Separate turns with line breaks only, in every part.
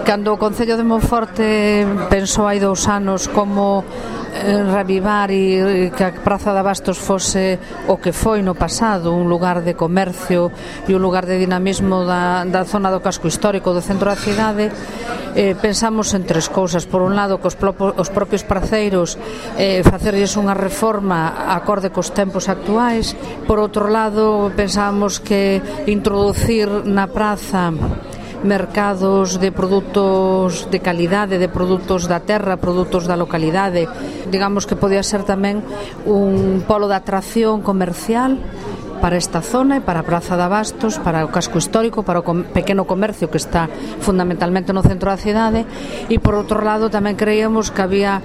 Cando o Concello de Monforte pensou hai 2 anos como reavivar e que a Praza de Abastos fose o que foi no pasado, un lugar de comercio e un lugar de dinamismo da zona do casco histórico do centro da cidade, pensamos en 3 cousas. Por un lado, que os propios parceiros facerlles unha reforma acorde cos tempos actuais. Por outro lado, pensábamos que introducir na praza mercados de produtos de calidade, de produtos da terra, produtos da localidade. Digamos que podía ser tamén un polo de atracción comercial para esta zona e para a Praza de Abastos, para o casco histórico, para o pequeno comercio que está fundamentalmente no centro da cidade. E por outro lado tamén creíamos que sería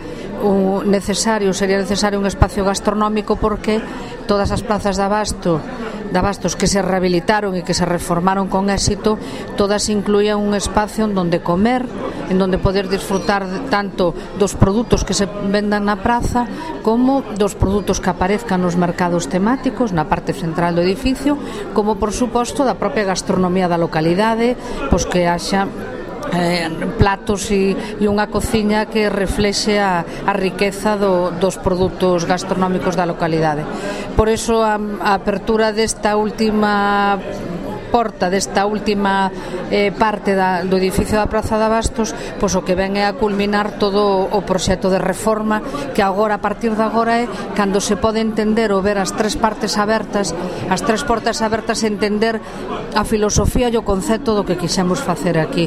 necesario un espacio gastronómico, porque todas as plazas de Abastos que se rehabilitaron e que se reformaron con éxito, todas incluían un espacio en donde comer, en donde poder disfrutar tanto dos produtos que se vendan na praza como dos produtos que aparezcan nos mercados temáticos na parte central do edificio, como por suposto da propia gastronomía da localidade, pois que haxa platos e unha cociña que reflexe a riqueza dos produtos gastronómicos da localidade. Por iso a apertura desta última porta, desta última parte do edificio da Praza de Abastos, pois o que ven é a culminar todo o proxecto de reforma, que agora, a partir de agora, é cando se pode entender ou ver as 3 partes abertas, as 3 portas abertas, entender a filosofía e o concepto do que quixemos facer aquí.